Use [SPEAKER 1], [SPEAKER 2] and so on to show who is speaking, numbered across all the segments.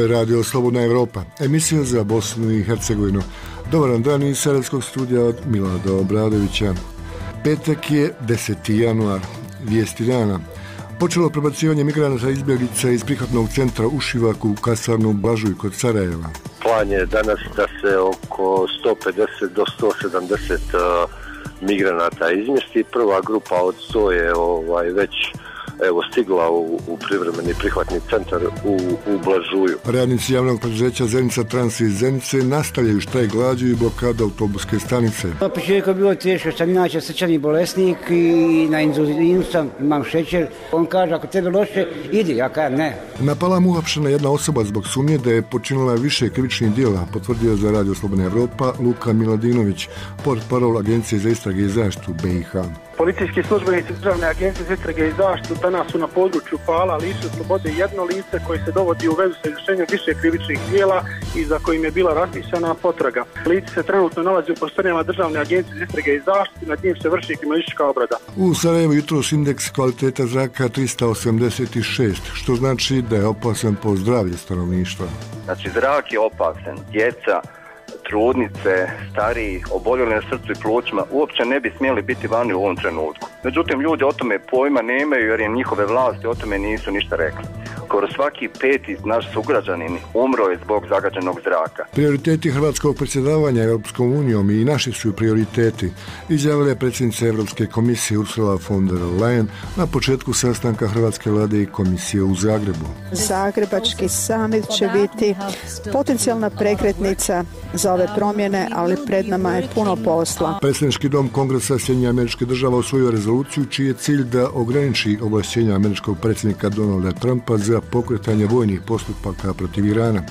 [SPEAKER 1] je Radio Slobodna Evropa, emisija za Bosnu i Hercegovinu. Dobar vam dan iz Sarajevskog studija od Milada Obradovića. Petak je 10. januar, vijesti dana. Počelo prebacivanje migranata izbjeglica iz prihvatnog centra u Šivaku u kasarnu Blažuj kod Sarajeva.
[SPEAKER 2] Plan je danas da se oko 150 do 170 migranata izmjesti. Prva grupa od 100 je već stigla u privremeni prihvatni centar u Blažuju.
[SPEAKER 1] Radnici javnog preduzeća Zenica Trans iz Zenice nastavljaju štrajk glađu i blokadu autobuske stanice.
[SPEAKER 3] Na početku je bilo teško, sam inače srčani bolesnik i na inzulinu sam, imam šećer. On kaže, ako tebe loše, idi, ja kažem ne.
[SPEAKER 1] Na Palamu uhapšena jedna osoba zbog sumnje da je počinila više krivičnih djela, potvrdio za Radio Slobodna Evropa Luka Miladinović, portparol Agencije za istrage i zaštitu BiH.
[SPEAKER 4] Policijski službenici Državne agencije za istrage i zaštitu danas su na području Pala lišili slobode jedno lice koje se dovodi u vezu sa izvršenjem više krivičnih djela i za kojim je bila raspisana potraga. Lice se trenutno nalazi u prostorijama Državne agencije za istrage i zaštitu, nad njim se vrši kriminalistička obrada.
[SPEAKER 1] U Sarajevu jutros indeks kvaliteta zraka 386, što znači da je opasan po zdravlje stanovništva.
[SPEAKER 5] Znači zrak je opasan, djeca, trudnice, stariji, oboljeli na srcu i plućima uopće ne bi smjeli biti vani u ovom trenutku. Međutim, ljudi o tome pojma nemaju jer im njihove vlasti o tome nisu ništa rekli. Skoro svaki peti naš sugrađanin umro je zbog zagađenog zraka.
[SPEAKER 1] Prioriteti hrvatskog predsjedavanja Europskom unijom i naši su prioriteti, izjavila je predsjednica Europske komisije Ursula von der Leyen na početku sastanka Hrvatske vlade i komisije u Zagrebu.
[SPEAKER 6] Zagrebački summit će biti potencijalna prekretnica za ove promjene, ali pred nama je puno posla.
[SPEAKER 1] Predsjednički dom Kongresa Sjedinjenih Američkih Država usvojio rezoluciju čiji je cilj da ograniči ovlašćenja američkog predsjednika Donalda Trumpa za pokretanje vojnih postupaka protiv Irana.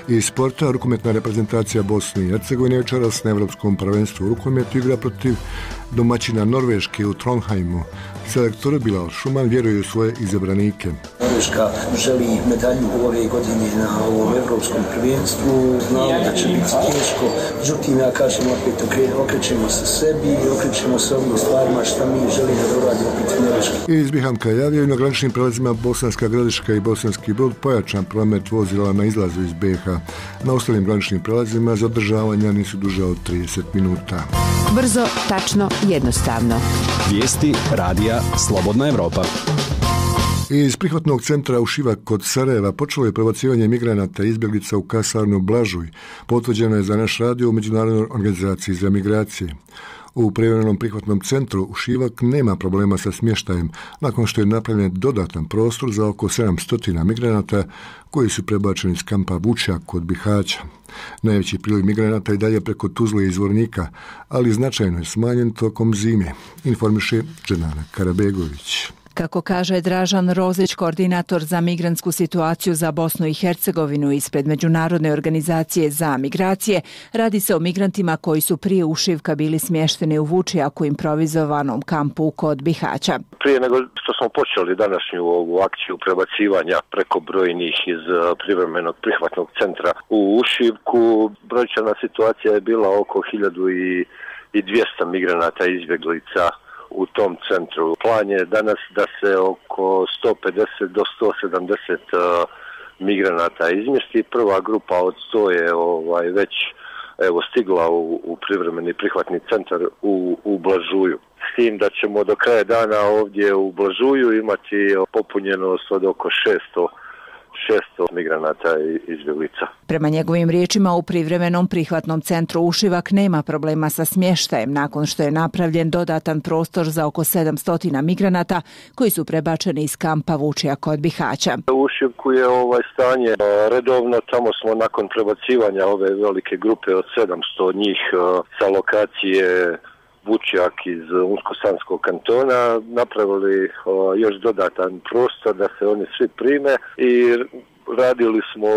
[SPEAKER 1] Iz sporta, rukometna reprezentacija Bosne i Hercegovine večeras na Evropskom prvenstvu u rukometu igra protiv domaćina Norveške u Trondheimu. Selektor Bilal Šuman vjeruje u svoje izabranike.
[SPEAKER 7] Norveška želi medalju ove godine na ovom evropskom prvenstvu. Znamo da će biti teško, međutim ja kažem opet okrećemo se sebi i okrećemo se ovim stvarima što mi želimo da uradimo protiv Norveške.
[SPEAKER 1] Iz Bihamka javljaju na graničnim prelazima Bosanska Gradiška i Bosanski Brod pojačan promet vozila na izlazu iz BiH. Na ostalim graničnim prelazima zadržavanja nisu duže od 30 minuta.
[SPEAKER 8] Brzo, tačno, jednostavno.
[SPEAKER 9] Vijesti radija Slobodna Evropa.
[SPEAKER 1] Iz prihvatnog centra u Šivak kod Sarajeva počelo je prebacivanje migranata i izbjeglica u kasarnu Blažuj. Potvrđeno je za naš radio u Međunarodnoj organizaciji za migracije. U privremenom prihvatnom centru u Šivak nema problema sa smještajem, nakon što je napravljen dodatan prostor za oko 700 migranata koji su prebačeni iz kampa Vučjak kod Bihaća. Najveći priliv migranata je dalje preko Tuzle i Zvornika, ali značajno je smanjen tokom zime, informiše Dženana Karabegović.
[SPEAKER 8] Kako kaže Dražan Rozić, koordinator za migrantsku situaciju za Bosnu i Hercegovinu ispred Međunarodne organizacije za migracije, radi se o migrantima koji su prije ušivka bili smješteni u Vučijaku improvizovanom kampu kod Bihaća.
[SPEAKER 2] Prije nego što smo počeli današnju ovu akciju prebacivanja preko brojnih iz privremenog prihvatnog centra u Ušivku, brojčana situacija je bila oko 1200 migranata izbjeglica u tom centru. Plan je danas da se oko 150 do 170 migranata izmjesti. Prva grupa od 100 je već stigla u privremeni prihvatni centar u Blažuju. S tim da ćemo do kraja dana ovdje u Blažuju imati popunjenost od oko 600 migranata i izbjeglica.
[SPEAKER 8] Prema njegovim riječima, u privremenom prihvatnom centru Ušivak nema problema sa smještajem nakon što je napravljen dodatan prostor za oko 700 migranata koji su prebačeni iz kampa Vučjak kod Bihaća.
[SPEAKER 2] U Ušivku je stanje redovno, tamo smo nakon prebacivanja ove velike grupe od 700 njih sa lokacije Vučjak iz Unsko-Sanskog kantona napravili još dodatan prostor da se oni svi prime i radili smo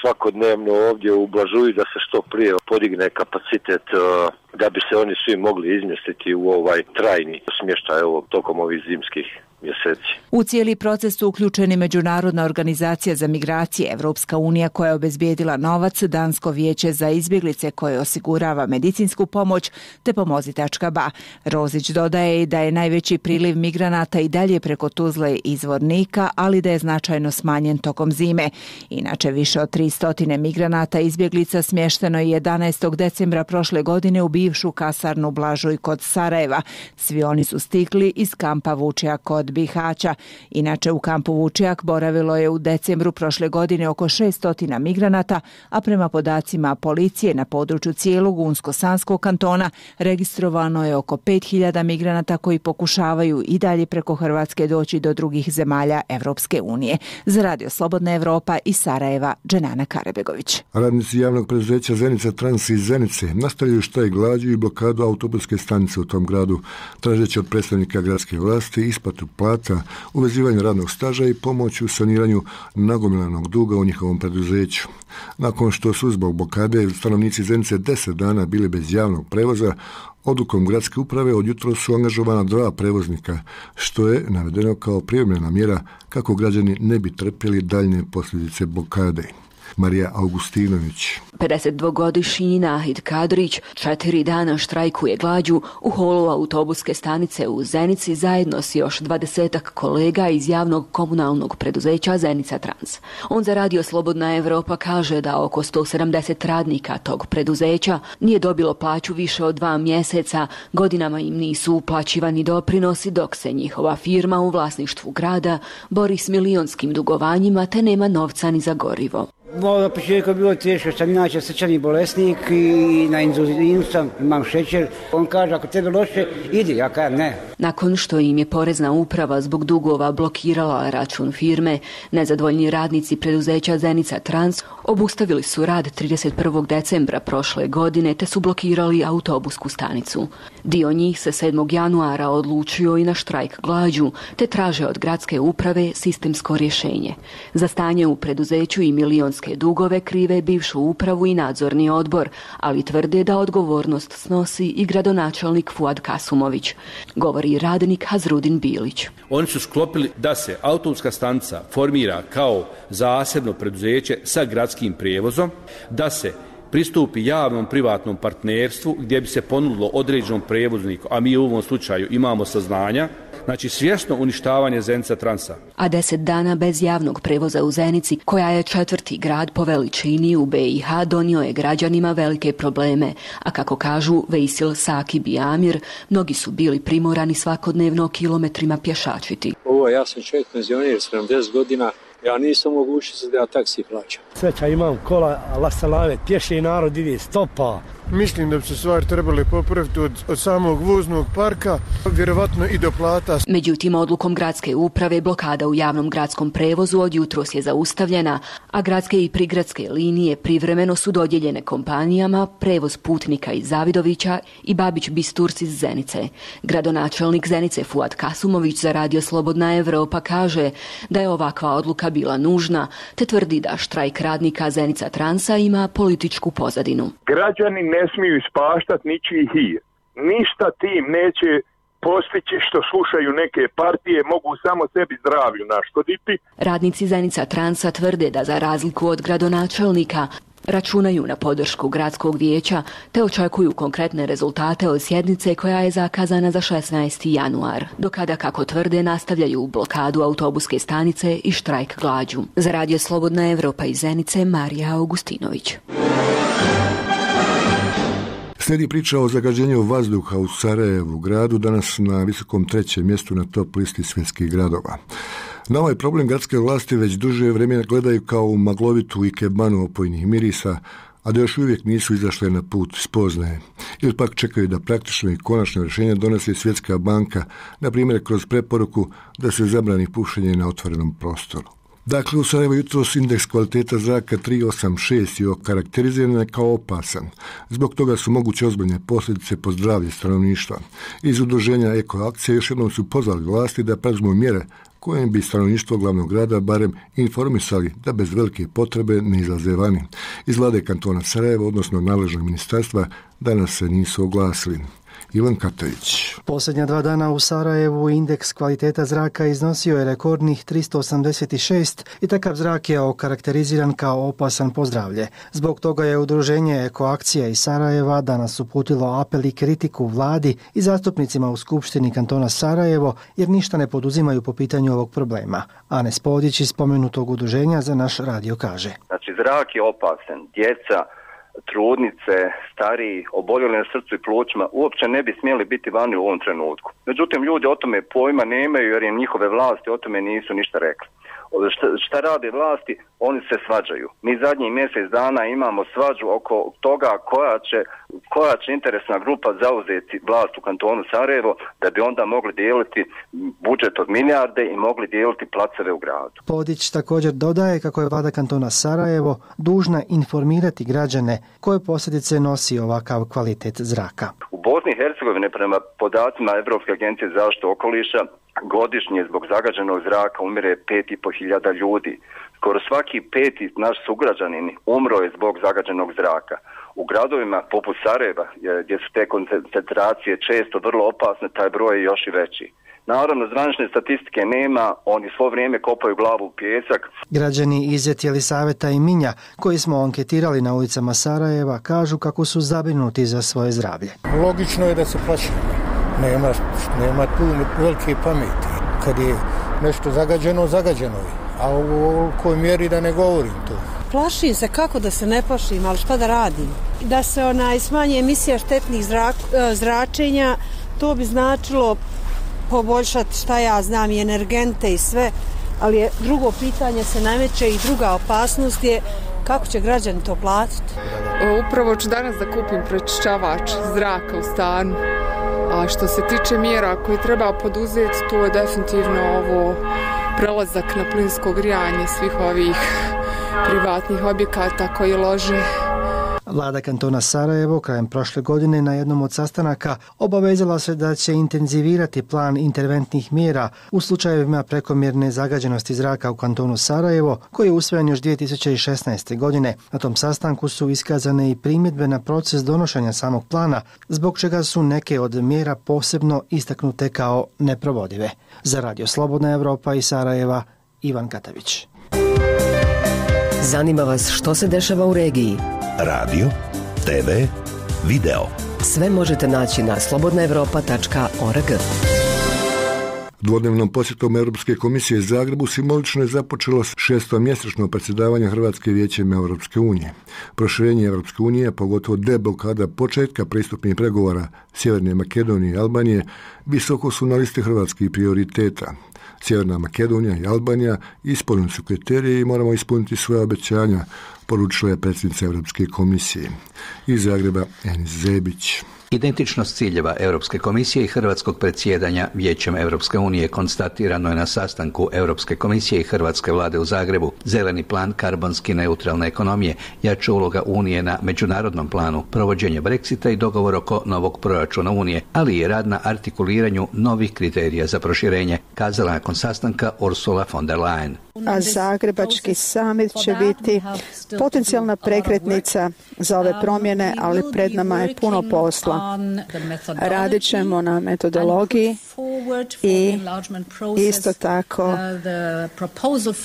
[SPEAKER 2] svakodnevno ovdje u Blažuju da se što prije podigne kapacitet da bi se oni svi mogli izmjestiti u trajni smještaj tokom ovih zimskih mjeseci.
[SPEAKER 8] U cijeli proces su uključeni Međunarodna organizacija za migracije, Evropska unija koja je obezbijedila novac, Dansko vijeće za izbjeglice koje osigurava medicinsku pomoć, te Pomozi.ba. Rozić dodaje i da je najveći priliv migranata i dalje preko Tuzle i Zvornika, ali da je značajno smanjen tokom zime. Inače, više od 300 migranata izbjeglica smješteno je 11. decembra prošle godine u bivšu kasarnu Blažuj kod Sarajeva. Svi oni su stigli iz kampa Vučjak kod Bihaća. Inače, u kampu Vučjak boravilo je u decembru prošle godine oko 600 migranata, a prema podacima policije na području cijelog Unsko-Sanskog kantona registrovano je oko 5000 migranata koji pokušavaju i dalje preko Hrvatske doći do drugih zemalja Evropske unije. Za Radio Slobodna Evropa iz Sarajeva, Dženana Karebegović.
[SPEAKER 1] Radnici javnog preduzeća Zenica Trans iz Zenice nastavljaju štrajk glađu i blokadu autobuske stanice u tom gradu, tražeći od predstavnika gradske vlasti isplatu plata, uvezivanje radnog staža i pomoć u saniranju nagomilanog duga u njihovom preduzeću. Nakon što su zbog blokade stanovnici Zenice 10 dana bili bez javnog prevoza, odlukom gradske uprave od jutros su angažovana 2 prevoznika, što je navedeno kao privremena mjera kako građani ne bi trpjeli daljnje posljedice blokade. Marija Augustinović.
[SPEAKER 10] 52-godišnji Nahid Kadrić 4 dana štrajkuje glađu u holu autobuske stanice u Zenici zajedno s još 20-ak kolega iz javnog komunalnog preduzeća Zenica Trans. On za Radio Slobodna Evropa kaže da oko 170 radnika tog preduzeća nije dobilo plaću više od 2 mjeseca, godinama im nisu uplaćivani doprinosi dok se njihova firma u vlasništvu grada bori s milionskim dugovanjima te nema novca ni za gorivo.
[SPEAKER 3] Na početku je bilo teško, sam inače srčani bolesnik i na inzulinu sam, imam šećer. On kaže, ako tebe loše, idi, ja kažem ne.
[SPEAKER 10] Nakon što im je porezna uprava zbog dugova blokirala račun firme, nezadovoljni radnici preduzeća Zenica Trans obustavili su rad 31. decembra prošle godine te su blokirali autobusku stanicu. Dio njih se 7. januara odlučio i na štrajk glađu te traže od gradske uprave sistemsko rješenje. Za stanje u preduzeću i milionske dugove krive bivšu upravu i nadzorni odbor, ali tvrde da odgovornost snosi i gradonačelnik Fuad Kasumović, govori radnik Hazrudin Bilić.
[SPEAKER 11] Oni su sklopili da se autobuska stanica formira kao zasebno preduzeće sa gradskim prijevozom, da se pristupi javnom privatnom partnerstvu gdje bi se ponudilo određenom prijevozniku, a mi u ovom slučaju imamo saznanja, znači svjesno uništavanje Zenica Transa.
[SPEAKER 10] A 10 dana bez javnog prevoza u Zenici, koja je 4. grad po veličini u BiH, donio je građanima velike probleme, a kako kažu Vejsil Sakib i Amir, mnogi su bili primorani svakodnevno kilometrima pješačiti.
[SPEAKER 12] Ja sam čovjek penzioner, 70 godina, ja nisam mogućnosti da ja taksi plaćam.
[SPEAKER 13] Sreća imam kola, Allah salave, pješi narod ide stopa.
[SPEAKER 14] Mislim da bi se stvari trebali popraviti od samog voznog parka, vjerovatno i do plata.
[SPEAKER 10] Međutim, odlukom gradske uprave blokada u javnom gradskom prevozu od jutros je zaustavljena, a gradske i prigradske linije privremeno su dodijeljene kompanijama Prevoz putnika iz Zavidovića i Babić Bisturs iz Zenice. Gradonačelnik Zenice Fuad Kasumović za Radio Slobodna Evropa kaže da je ovakva odluka bila nužna, te tvrdi da štrajk radnika Zenica Transa ima političku pozadinu.
[SPEAKER 15] Građani ne smiju ispaštati ničiji hir. Ništa tim neće postići što slušaju neke partije, mogu samo sebi zdravlju naškoditi.
[SPEAKER 10] Radnici Zenica Transa tvrde da za razliku od gradonačelnika računaju na podršku gradskog vijeća te očekuju konkretne rezultate od sjednice koja je zakazana za 16. januar, do kada, kako tvrde, nastavljaju blokadu autobuske stanice i štrajk glađu. Za Radio Slobodna Evropa iz Zenice, Marija Augustinović.
[SPEAKER 1] Slijedi priča o zagađenju vazduha u Sarajevu, gradu danas na visokom 3. mjestu na top listi svjetskih gradova. Na ovaj problem gradske vlasti već duže vremena gledaju kao u maglovitu ikebanu opojnih mirisa, a da još uvijek nisu izašle na put spoznaje. Ili pak čekaju da praktično i konačno rješenje donese Svjetska banka, na primjer kroz preporuku da se zabrani pušenje na otvorenom prostoru. Dakle, u Sarajevu jutros indeks kvaliteta zraka 386 je okarakteriziran kao opasan. Zbog toga su moguće ozbiljne posljedice po zdravlje stanovništva. Iz udruženja Ekoakcije još jednom su pozvali vlasti da preuzmu mjere kojim bi stanovništvo glavnog grada barem informisali da bez velike potrebe ne izlaze vani. Iz vlade kantona Sarajeva, odnosno nadležnog ministarstva, danas se nisu oglasili. Ivan Katavić.
[SPEAKER 16] Posljednja 2 dana u Sarajevu indeks kvaliteta zraka iznosio je rekordnih 386 i takav zrak je okarakteriziran kao opasan po zdravlje. Zbog toga je udruženje Ekoakcija iz Sarajeva danas uputilo apel i kritiku vladi i zastupnicima u Skupštini kantona Sarajevo jer ništa ne poduzimaju po pitanju ovog problema. Ane Spodić iz spomenutog udruženja za naš radio kaže.
[SPEAKER 5] Znači, zrak je opasan. Djeca, trudnice, stariji, oboljeli na srcu i plućima uopće ne bi smjeli biti vani u ovom trenutku. Međutim, ljudi o tome pojma nemaju jer im njihove vlasti o tome nisu ništa rekli. Šta rade vlasti? Oni se svađaju. Mi zadnjih mjesec dana imamo svađu oko toga koja će interesna grupa zauzeti vlast u kantonu Sarajevo da bi onda mogli dijeliti budžet od milijarde i mogli dijeliti placeve u gradu.
[SPEAKER 16] Podić također dodaje kako je vlada kantona Sarajevo dužna informirati građane koje posljedice nosi ovakav kvalitet zraka.
[SPEAKER 5] U Bosni i Hercegovini prema podacima Europske agencije za zaštitu okoliša godišnje zbog zagađenog zraka umire 5.500 ljudi. Skoro svaki 5. naš sugrađanin umro je zbog zagađenog zraka. U gradovima poput Sarajeva, gdje su te koncentracije često vrlo opasne, taj broj je još i veći. Naravno, zvanične statistike nema, oni svo vrijeme kopaju glavu u pijesak.
[SPEAKER 16] Građani iz Jelisaveta i Minja, koji smo anketirali na ulicama Sarajeva, kažu kako su zabrinuti za svoje zdravlje.
[SPEAKER 13] Logično je da se plaši. Nema tu velike pameti. Kad je nešto zagađeno, zagađeno je. A u kojoj mjeri da ne govorim to.
[SPEAKER 17] Plašim se, kako da se ne plašim, ali šta da radim? Da se smanje emisija štetnih zračenja, to bi značilo poboljšati, šta ja znam, i energente i sve, ali je drugo pitanje se nameće i druga opasnost je kako će građani to platiti.
[SPEAKER 18] Upravo ću danas da kupim pročišćavač zraka u stanu. A što se tiče mjera koje treba poduzeti, to je definitivno ovo prelazak na plinsko grijanje svih ovih privatnih objekata koji lože.
[SPEAKER 16] Vlada kantona Sarajevo krajem prošle godine na jednom od sastanaka obavezala se da će intenzivirati plan interventnih mjera u slučajevima prekomjerne zagađenosti zraka u kantonu Sarajevo, koji je usvojen još 2016. godine. Na tom sastanku su iskazane i primjedbe na proces donošenja samog plana, zbog čega su neke od mjera posebno istaknute kao neprovodive. Za Radio Slobodna Evropa iz Sarajeva, Ivan Katavić.
[SPEAKER 19] Zanima vas što se dešava u regiji?
[SPEAKER 20] Radio, TV, video.
[SPEAKER 19] Sve možete naći na slobodnaevropa.org.
[SPEAKER 1] Dvodnevnom posjetom Europske komisije Zagrebu simbolično je započelo 6. mjesečno predsjedavanje Hrvatske vijećem Europske unije. Proširenje Europske unije, pogotovo deblokada početka pristupnih pregovora Sjeverne Makedonije i Albanije, visoko su na listi hrvatskih prioriteta. Sjeverna Makedonija i Albanija ispunili su kriterije i moramo ispuniti svoje obećanja, poručila je predsjednica Europske komisije. Iz Zagreba Enis Zebić.
[SPEAKER 21] Identičnost ciljeva Europske komisije i hrvatskog predsjedanja Vijećem Europske unije konstatirano je na sastanku Europske komisije i hrvatske vlade u Zagrebu. Zeleni plan karbonski neutralne ekonomije, jača uloga Unije na međunarodnom planu, provođenje Brexita i dogovor oko novog proračuna Unije, ali i rad na artikuliranju novih kriterija za proširenje, kazala nakon sastanka Ursula von der Leyen.
[SPEAKER 6] A Zagrebački samit će biti potencijalna prekretnica za ove promjene, ali pred nama je puno posla. Radit ćemo na metodologiji i isto tako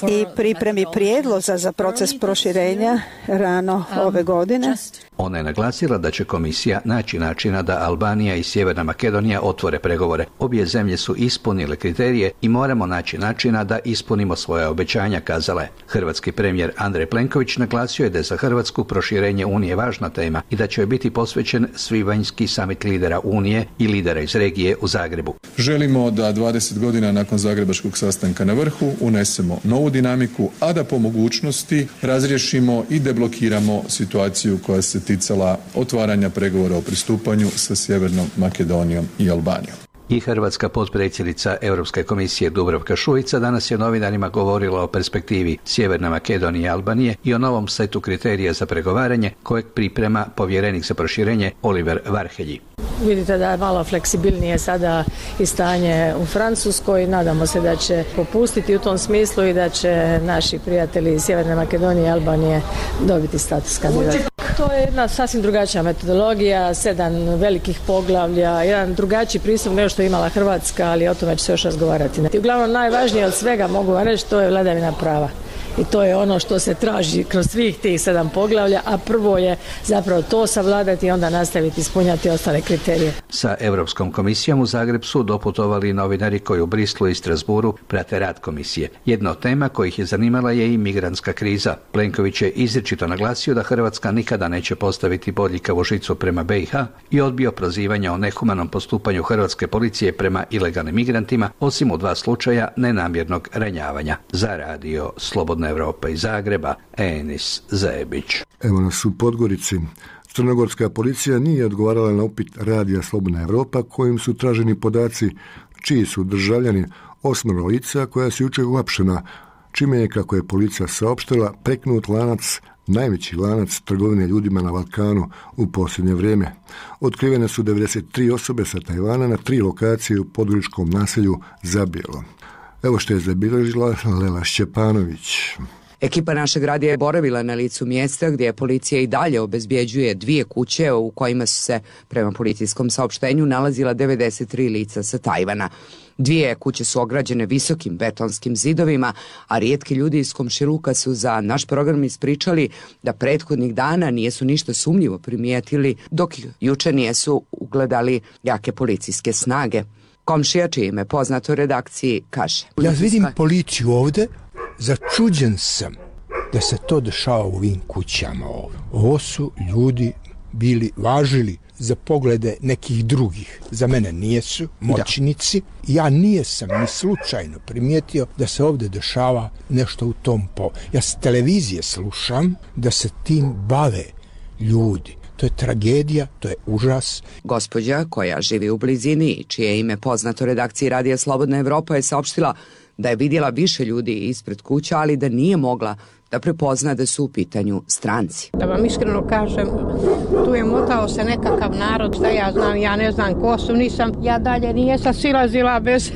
[SPEAKER 6] i pripremi prijedloga za proces proširenja rano ove godine.
[SPEAKER 21] Ona je naglasila da će komisija naći načina da Albanija i Sjeverna Makedonija otvore pregovore. Obje zemlje su ispunile kriterije i moramo naći načina da ispunimo svoje obećanja, kazala je. Hrvatski premijer Andrej Plenković naglasio je da je za Hrvatsku proširenje Unije važna tema i da će joj biti posvećen svibanjski samit lidera Unije i lidera iz regije u Zagrebu.
[SPEAKER 22] Želimo da 20 godina nakon zagrebačkog sastanka na vrhu unesemo novu dinamiku, a da po mogućnosti razriješimo i deblokiramo situaciju koja se ticala otvaranja pregovora o pristupanju sa Sjevernom Makedonijom i Albanijom.
[SPEAKER 21] I hrvatska potpredsjednica Europske komisije Dubravka Šuica danas je novinarima govorila o perspektivi Sjeverne Makedonije i Albanije i o novom setu kriterija za pregovaranje kojeg priprema povjerenik za proširenje Oliver Varhelyi.
[SPEAKER 23] Vidite da je malo fleksibilnije sada i stanje u Francuskoj. Nadamo se da će popustiti u tom smislu i da će naši prijatelji iz Sjeverne Makedonije i Albanije dobiti status kandidata. To je jedna sasvim drugačija metodologija, 7 velikih poglavlja, jedan drugačiji pristup nego što je imala Hrvatska, ali o tome će se još razgovarati. I uglavnom najvažnije od svega, mogu vam reći, to je vladavina prava. I to je ono što se traži kroz svih tih 7 poglavlja, a prvo je zapravo to savladati i onda nastaviti ispunjati ostale kriterije.
[SPEAKER 21] Sa Europskom komisijom u Zagreb su doputovali novinari koji u Brislu i Strasburu prate rad komisije. Jedna od tema kojih je zanimala je i migrantska kriza. Plenković je izričito naglasio da Hrvatska nikada neće postaviti bodljikavu žicu prema BiH i odbio prozivanja o nehumanom postupanju hrvatske policije prema ilegalnim migrantima, osim u 2 slučaja nenamjernog ranjavanja. Za radio Slobodna Evropa iz Zagreba, Enis Zebić.
[SPEAKER 1] Evo nas u Podgorici. Crnogorska policija nije odgovarala na upit radija Slobodna Evropa kojim su traženi podaci čiji su državljani 8 lica koja su jučer uhapšena, čime je, kako je policija saopštila, preknut lanac, najveći lanac trgovine ljudima na Balkanu u posljednje vrijeme. Otkrivene su 93 osobe sa Tajvana na 3 lokacije u podgoričkom naselju Zabijelo. Evo što je zabilježila Lela Šćepanović.
[SPEAKER 4] Ekipa našeg radija je boravila na licu mjesta gdje policija i dalje obezbjeđuje 2 kuće u kojima su se, prema policijskom saopštenju, nalazila 93 lica sa Tajvana. 2 kuće su ograđene visokim betonskim zidovima, a rijetki ljudi iz komšiluka su za naš program ispričali da prethodnih dana nijesu ništa sumnjivo primijetili, dok juče nijesu ugledali jake policijske snage. Komšija, čije ime poznato u redakciji, kaže:
[SPEAKER 7] Ja vidim policiju ovdje, začuđen sam da se to dešava u ovim kućama ovdje. Ovo su ljudi bili važili za poglede nekih drugih. Za mene nijesu moćnici. Ja nijesam ni slučajno primijetio da se ovdje dešava nešto u tom Ja s televizije slušam da se tim bave ljudi. To je tragedija, to je užas.
[SPEAKER 4] Gospođa koja živi u blizini, čije ime poznato redakciji radija Slobodna Evropa, je saopštila da je vidjela više ljudi ispred kuća, ali da nije mogla da prepozna da su u pitanju stranci.
[SPEAKER 9] Da vam iskreno kažem, tu je motao se nekakav narod, šta ja znam, ja ne znam ko su, ja dalje nijesam silazila bez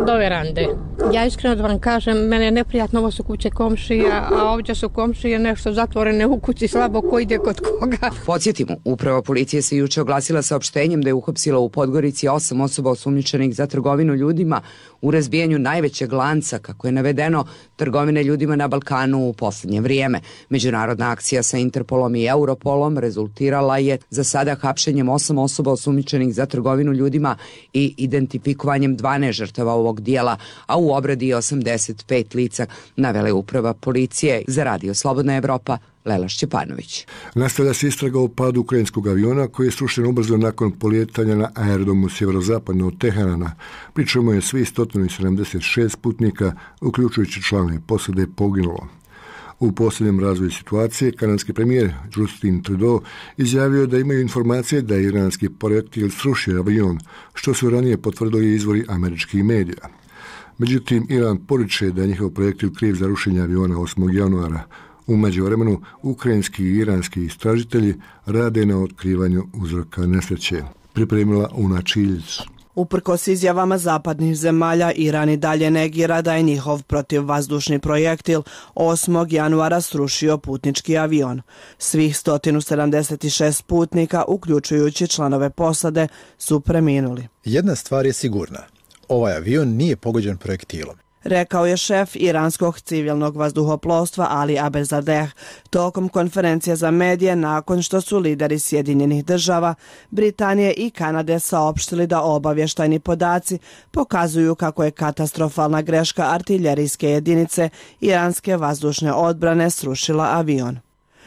[SPEAKER 9] do verande. Ja iskreno da vam kažem, mene je neprijatno, ovo su kuće komšija, a ovdje su komšije nešto zatvorene u kući, slabo ko ide kod koga.
[SPEAKER 4] Podsjetimo, uprava policije se juče oglasila saopštenjem da je uhapsila u Podgorici 8 osoba osumnjičenih za trgovinu ljudima u razbijanju najvećeg lanca, kako je navedeno, trgovine ljudima na Balkanu u posljednje vrijeme. Međunarodna akcija sa Interpolom i Europolom rezultirala je za sada hapšenjem 8 osoba osumnjičenih za trgovinu ljudima i identifikovanjem 12 žrtava ovog dijela, a u obradi 85 lica, navele uprava policije. Za radio Slobodna Evropa, Lela Šćepanović.
[SPEAKER 1] Nastavlja se istraga o padu ukrajinskog aviona koji je srušen ubrzo nakon polijetanja na aerodromu sjeverozapadno od Teherana, pri čemu je svi 176 putnika, uključujući članove posade, poginulo. U posljednjem razvoju situacije, kanadski premijer Justin Trudeau izjavio da imaju informacije da je iranski projektil srušio avion, što su ranije potvrdili izvori američkih medija. Međutim, Iran poriče da je njihov projektil kriv za rušenje aviona 8. januara. U međuvremenu, ukrajinski i iranski istražitelji rade na otkrivanju uzroka nesreće. Pripremila Una Čiljić.
[SPEAKER 24] Uprkos izjavama zapadnih zemalja, Iran i dalje negira da je njihov protivvazdušni projektil 8. januara srušio putnički avion. Svih 176 putnika, uključujući članove posade, su preminuli.
[SPEAKER 25] Jedna stvar je sigurna. Ovaj avion nije pogođen projektilom,
[SPEAKER 24] rekao je šef iranskog civilnog vazduhoplovstva Ali Abezadeh tokom konferencije za medije nakon što su lideri Sjedinjenih država, Britanije i Kanade saopštili da obavještajni podaci pokazuju kako je katastrofalna greška artiljerijske jedinice iranske vazdušne odbrane srušila avion.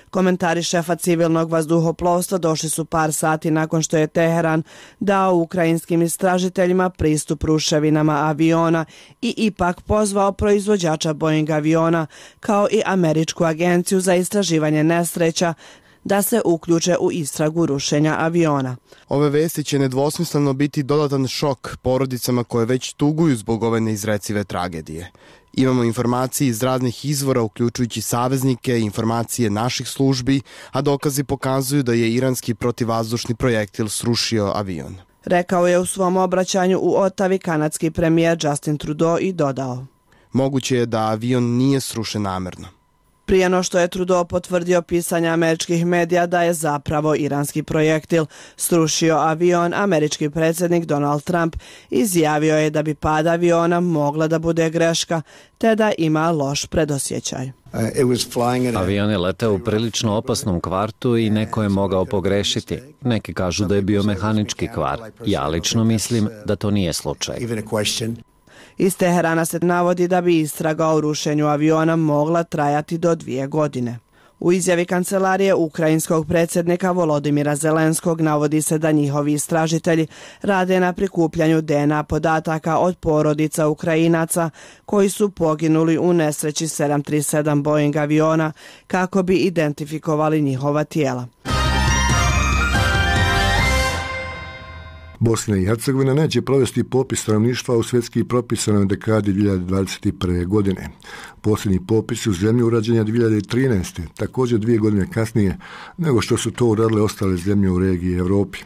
[SPEAKER 24] Komentari šefa civilnog vazduhoplovstva došli su par sati nakon što je Teheran dao ukrajinskim istražiteljima pristup ruševinama aviona i ipak pozvao proizvođača Boeing aviona kao i Američku agenciju za istraživanje nesreća da se uključe u istragu rušenja aviona.
[SPEAKER 26] Ove vesti će nedvosmisleno biti dodatan šok porodicama koje već tuguju zbog ove neizrecive tragedije. Imamo informacije iz raznih izvora, uključujući saveznike, informacije naših službi, a dokazi pokazuju da je iranski protivvazdušni projektil srušio avion.
[SPEAKER 24] Rekao je u svom obraćanju u Ottavi kanadski premijer Justin Trudeau i dodao:
[SPEAKER 26] moguće je da avion nije srušen namerno.
[SPEAKER 24] prije no što je Trudeau potvrdio pisanje američkih medija da je zapravo iranski projektil srušio avion, američki predsjednik Donald Trump izjavio je da bi pad aviona mogla da bude greška, te da ima loš predosjećaj.
[SPEAKER 2] Avion je leteo u prilično opasnom kvartu i neko je mogao pogrešiti. Neki kažu da je bio mehanički kvar. Ja lično mislim da to nije slučaj.
[SPEAKER 24] Iz Teherana se navodi da bi istraga o rušenju aviona mogla trajati do 2 godine. U izjavi kancelarije ukrajinskog predsjednika Volodimira Zelenskog navodi se da njihovi istražitelji rade na prikupljanju DNA podataka od porodica Ukrajinaca koji su poginuli u nesreći 737 Boeing aviona kako bi identifikovali njihova tijela.
[SPEAKER 1] Bosna i Hercegovina neće provesti popis stanovništva u svjetski propisanoj dekadi 2021. godine. Posljednji popis u zemlji urađen je 2013. također 2 godine kasnije nego što su to uradile ostale zemlje u regiji i Europi.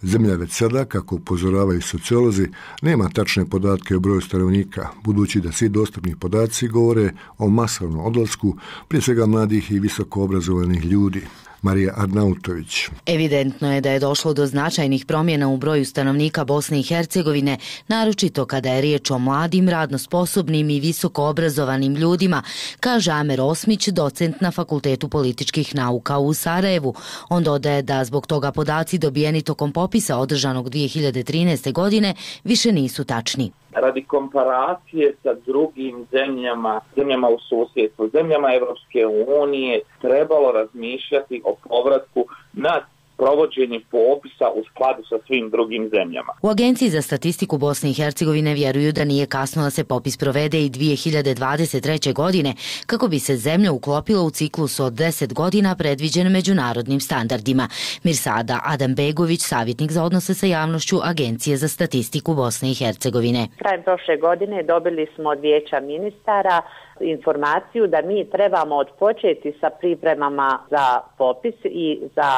[SPEAKER 1] Zemlja već sada, kako upozoravaju sociolozi, nema tačne podatke o broju stanovnika, budući da svi dostupni podaci govore o masovnom odlasku, prije svega mladih i visoko obrazovanih ljudi. Marija Arnautović.
[SPEAKER 3] Evidentno je da je došlo do značajnih promjena u broju stanovnika Bosne i Hercegovine, naročito kada je riječ o mladim, radno sposobnim i visoko obrazovanim ljudima, kaže Amer Osmić, docent na Fakultetu političkih nauka u Sarajevu. On dodaje da zbog toga podaci dobijeni tokom popisa održanog 2013. godine više nisu tačni.
[SPEAKER 8] Radi komparacije sa drugim zemljama u susjedstvu, zemljama Evropske unije, trebalo razmišljati o povratku na provođenje popisa u skladu sa svim drugim zemljama.
[SPEAKER 3] U Agenciji za statistiku Bosne i Hercegovine vjeruju da nije kasno da se popis provede i 2023. godine, kako bi se zemlja uklopila u ciklus od 10 godina predviđen međunarodnim standardima. Mirsada Adambegović, savjetnik za odnose sa javnošću Agencije za statistiku Bosne i Hercegovine.
[SPEAKER 11] Krajem prošle godine dobili smo od Vijeća ministara informaciju da mi trebamo odpočeti sa pripremama za popis i za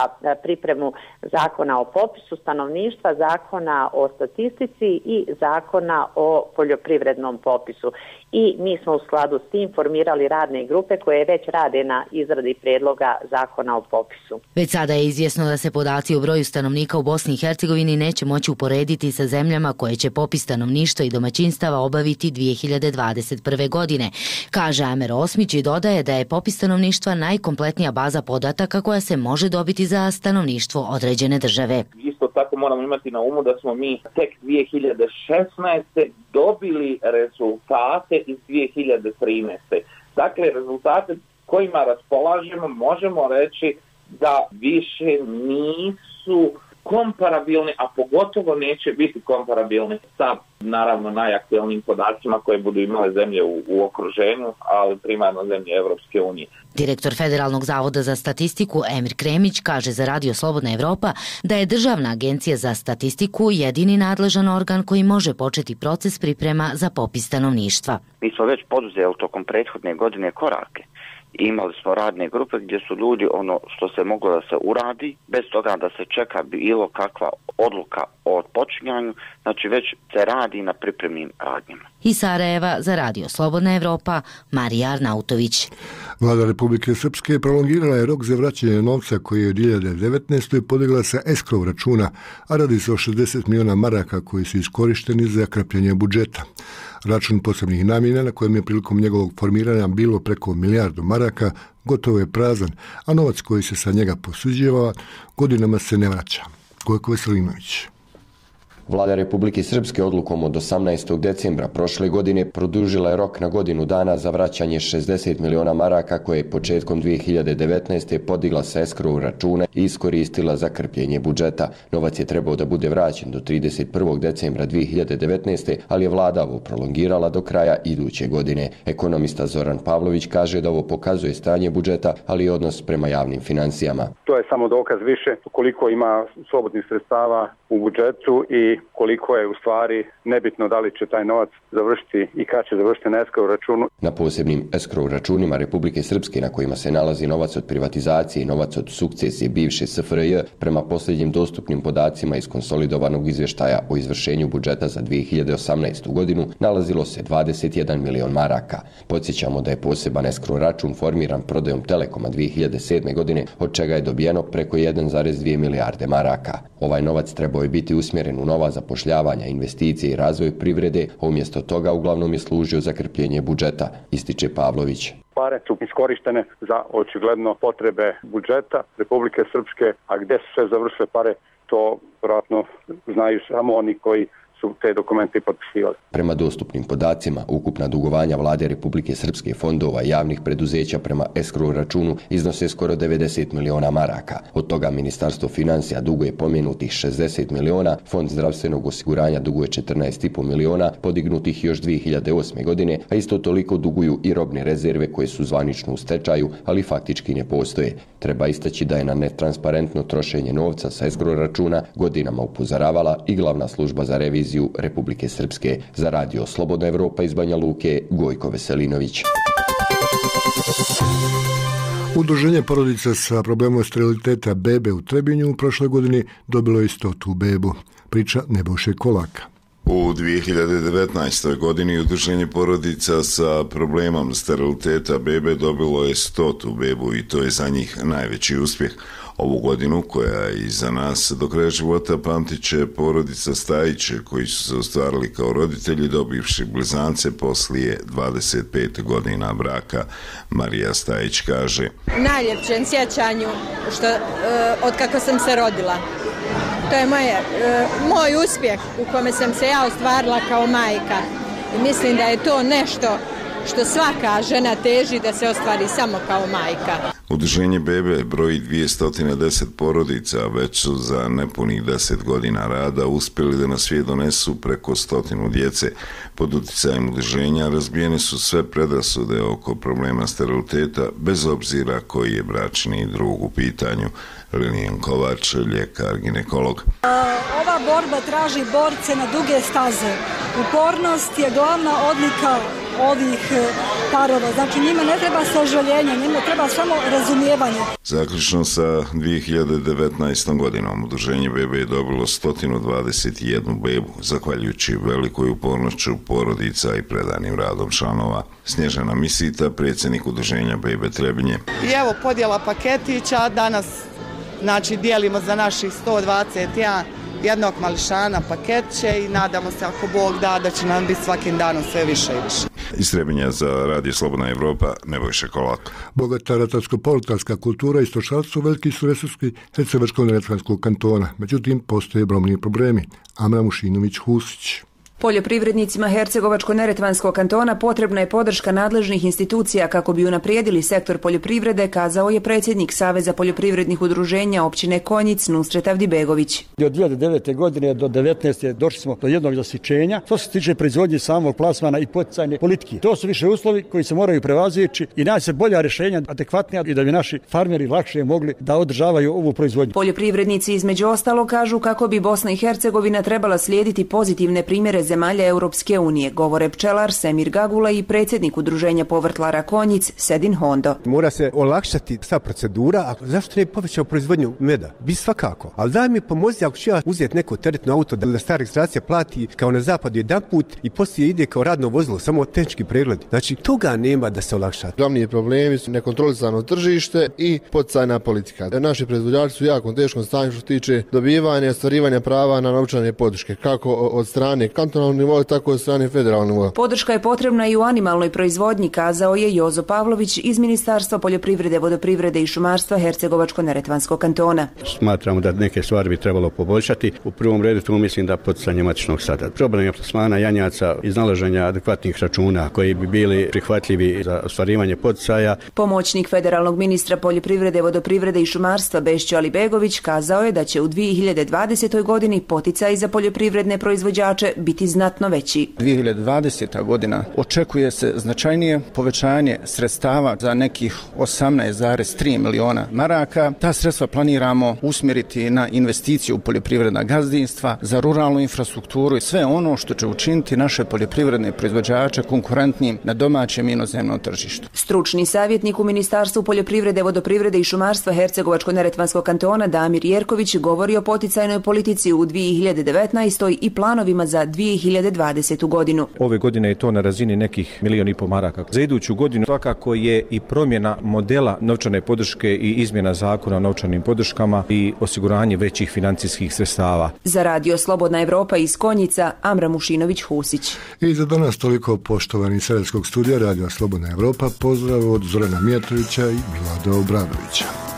[SPEAKER 11] pripremu zakona o popisu stanovništva, zakona o statistici i zakona o poljoprivrednom popisu. I mi smo u skladu s tim formirali radne grupe koje već rade na izradi prijedloga zakona o popisu.
[SPEAKER 3] Već sada je izvjesno da se podaci o broju stanovnika u Bosni i Hercegovini neće moći uporediti sa zemljama koje će popis stanovništva i domaćinstava obaviti 2021. godine. Kaže Amer Osmić i dodaje da je popis stanovništva najkompletnija baza podataka koja se može dobiti za stanovništvo određene države.
[SPEAKER 8] Isto tako moramo imati na umu da smo mi tek 2016. dobili rezultate iz 2013. Dakle, rezultate kojima raspolažemo možemo reći da više nisu komparabilni, a pogotovo neće biti komparabilni sa, naravno, najaktuelnijim podacima koje budu imale zemlje u okruženju, ali primarno zemlje Evropske unije.
[SPEAKER 3] Direktor Federalnog zavoda za statistiku Emir Kremić kaže za Radio Slobodna Evropa da je Državna agencija za statistiku jedini nadležan organ koji može početi proces priprema za popis stanovništva.
[SPEAKER 12] Mi smo već poduzeli tokom prethodne godine korake. Imali smo radne grupe gdje su ljudi ono što se moglo da se uradi, bez toga da se čeka bilo kakva odluka o počinjanju, znači već se radi na pripremnim radnjama.
[SPEAKER 3] Iz Sarajeva za Radio Slobodna Evropa, Marija Arnautović.
[SPEAKER 1] Vlada Republike Srpske prolongirala je rok za vraćanje novca koji je u 2019. podigla sa eskrov računa, a radi se o 60 miliona maraka koji su iskorišteni za krpljenje budžeta. Račun posebnih namjena na kojem je prilikom njegovog formiranja bilo preko milijardu maraka gotovo je prazan, a novac koji se sa njega posuđivao godinama se ne vraća. Gojko Veselinović.
[SPEAKER 14] Vlada Republike Srpske odlukom od 18. decembra prošle godine produžila je rok na godinu dana za vraćanje 60 miliona maraka koje je početkom 2019. podigla sa eskrov računa i iskoristila za krpljenje budžeta. Novac je trebao da bude vraćen do 31. decembra 2019. ali je vlada ovo prolongirala do kraja iduće godine. Ekonomista Zoran Pavlović kaže da ovo pokazuje stanje budžeta, ali i odnos prema javnim financijama.
[SPEAKER 27] To je samo dokaz više koliko ima slobodnih sredstava u budžetu i
[SPEAKER 5] i koliko je u stvari nebitno da li će taj novac završiti i kad će završiti na escrow računu.
[SPEAKER 14] Na posebnim escrow računima Republike Srpske na kojima se nalazi novac od privatizacije i novac od sukcesije bivše SFRJ, prema posljednjim dostupnim podacima iz konsolidovanog izvještaja o izvršenju budžeta za 2018. godinu, nalazilo se 21 milion maraka. Podsjećamo da je poseban escrow račun formiran prodajom Telekoma 2007. godine, od čega je dobijeno preko 1,2 milijarde maraka. Ovaj novac trebao je biti usmjeren u nova zapošljavanja, investicije i razvoj privrede, a umjesto toga uglavnom je služio za krpljenje budžeta, ističe Pavlović.
[SPEAKER 5] Pare su iskorištene za očigledno potrebe budžeta Republike Srpske, a gdje su sve završile pare, to vjerojatno znaju samo oni koji su te dokumente potpisivali.
[SPEAKER 14] Prema dostupnim podacima, ukupna dugovanja Vlade Republike Srpske, fondova i javnih preduzeća prema escrow računu iznose skoro 90 miliona maraka. Od toga Ministarstvo financija duguje pomenutih 60 miliona, Fond zdravstvenog osiguranja duguje 14,5 miliona, podignutih još 2008. godine, a isto toliko duguju i robne rezerve koje su zvanično u stečaju, ali faktički ne postoje. Treba istaći da je na netransparentno trošenje novca sa escrow računa godinama upozoravala i glavna služba za reviziju Republike Srpske. Za radio Slobodna Evropa iz Banja Luke, Gojko Veselinović.
[SPEAKER 1] Udruženje porodica sa problemom steriliteta bebe u Trebinju u prošloj godini dobilo je 100. bebu. Priča Nebojše Kolaka.
[SPEAKER 10] U 2019. godini Udruženje porodica sa problemom steriliteta bebe dobilo je 100. bebu i to je za njih najveći uspjeh. Ovu godinu, koja je iza nas, do kraja života pamtit će porodica Stajiće, koji su se ostvarili kao roditelji dobivši blizance poslije 25 godina braka. Marija Stajić kaže:
[SPEAKER 13] najljepšem sjećanju od kako sam se rodila. To je moj uspjeh u kome sam se ja ostvarila kao majka. I mislim da je to nešto što svaka žena teži da se ostvari samo kao majka.
[SPEAKER 10] Udruženje bebe broji 210 porodica, a već su za nepunih 10 godina rada uspjeli da na svijet donesu preko 100 djece. Pod utjecajem udruženja razbijene su sve predrasude oko problema steriliteta, bez obzira koji je bračni drug u pitanju. Lilijan Kovač, ljekar, ginekolog.
[SPEAKER 15] Ova borba traži borce na duge staze. Upornost je glavna odlika ovih parova. Znači njima ne treba sažaljenje, njima treba samo razumijevanje.
[SPEAKER 10] Zaključno sa 2019. godinom udruženje bebe je dobilo 121 bebu, zahvaljujući velikoj upornošću porodica i predanim radom članova. Snježana Misita, predsjednik udruženja bebe Trebinje.
[SPEAKER 17] I evo podjela paketića, danas dijelimo za naših 121 jednog mališana paketće i nadamo se, ako Bog da će nam biti svakim danom sve više i više.
[SPEAKER 10] Iz Trebinja za radio Slobodna Evropa, Nebojša Kolak.
[SPEAKER 1] Bogata ratarsko-politarska kultura i stočarstvo veliki su resursi Hercegovačko-neretvanskog kantona. Međutim, postoje brojni problemi. Amra Mušinović-Husić.
[SPEAKER 18] Poljoprivrednicima Hercegovačko-neretvanskog kantona potrebna je podrška nadležnih institucija kako bi unaprijedili sektor poljoprivrede, kazao je predsjednik Saveza poljoprivrednih udruženja općine Konjic Nusret Avdibegović.
[SPEAKER 27] Od 2009. godine do 2019. došli smo do jednog zasićenja. To se tiče proizvodnje samog plasmana i poticajne politike. To su više uslovi koji se moraju prevazići i naći se bolja rješenja, adekvatnija, i da bi naši farmeri lakše mogli da održavaju ovu proizvodnju.
[SPEAKER 18] Poljoprivrednici između ostalo kažu kako bi Bosna i Hercegovina trebala slijediti pozitivne primjere zemalja Europske unije, govore pčelar Semir Gagula i predsjednik udruženja povrtlara Konjic Sedin Hondo.
[SPEAKER 28] Mora se olakšati sva procedura, a zašto ne povećao proizvodnju meda? Bi svakako. Ali daj mi pomozi ako ću ja uzeti neko teretno auto da stara registracija plati kao na zapadu jedan put i poslije ide kao radno vozilo, samo tehnički pregled. Znači toga nema da se olakša.
[SPEAKER 29] Glavni problemi su nekontrolisano tržište i poticajna politika. Naši proizvođači su jako teškom stanju što se tiče dobivanja i ostvarivanja prava na novčane podrške, kako od strane kantonalnog nivoa, tako od strane federalnog nivoa.
[SPEAKER 18] Podrška je potrebna i u animalnoj proizvodnji, kazao je Jozo Pavlović iz Ministarstva poljoprivrede, vodoprivrede i šumarstva Hercegovačko-neretvanskog kantona.
[SPEAKER 27] Smatramo da neke stvari bi trebalo poboljšati. U prvom redu tu mislim da poticanje matičnog stada. Problem je plasmana janjaca, iznalaženja adekvatnih računa koji bi bili prihvatljivi za ostvarivanje poticaja.
[SPEAKER 18] Pomoćnik federalnog ministra poljoprivrede, vodoprivrede i šumarstva Bešćo Alibegović kazao je da će u 2020. godini poticaji za poljoprivredne proizvođače biti znatno veći.
[SPEAKER 6] 2020. godina očekuje se značajnije povećanje sredstava za nekih 18,3 miliona maraka. Ta sredstva planiramo usmjeriti na investicije u poljoprivredna gazdinstva, za ruralnu infrastrukturu i sve ono što će učiniti naše poljoprivredne proizvođače konkurentnim na domaćem i inozemnom tržištu.
[SPEAKER 18] Stručni savjetnik u Ministarstvu poljoprivrede, vodoprivrede i šumarstva Hercegovačko-neretvanskog kantona Damir Jerković govori o poticajnoj politici u 2019. i planovima za 2020. godinu.
[SPEAKER 7] Ove godine je to na razini nekih 1,5 milijuna maraka. Za iduću godinu svakako je i promjena modela novčane podrške i izmjena zakona o novčanim podrškama i osiguranje većih financijskih sredstava.
[SPEAKER 18] Za radio Slobodna Evropa iz Konjica, Amra Mušinović-Husić.
[SPEAKER 1] I za danas toliko, poštovani iz Sarajevskog studija Radio Slobodna Evropa. Pozdrav od Zorana Mijatovića i Milada Obradovića.